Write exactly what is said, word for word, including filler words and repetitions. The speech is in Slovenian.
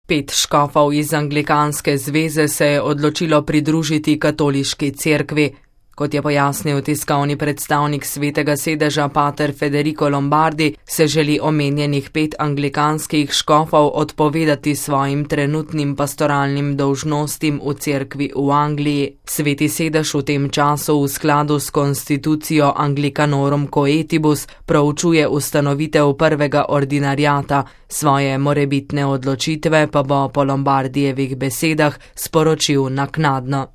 Pet škofov iz Anglikanske zveze se je odločilo pridružiti katoliški cerkvi. Kot je pojasnil tiskovni predstavnik Svetega sedeža pater Federico Lombardi, se želi omenjenih pet anglikanskih škofov odpovedati svojim trenutnim pastoralnim dolžnostim v cerkvi v Angliji. Sveti sedež v tem času v skladu s konstitucijo Anglicanorum Coetibus proučuje ustanovitev prvega ordinariata, svoje morebitne odločitve pa bo po Lombardijevih besedah sporočil naknadno.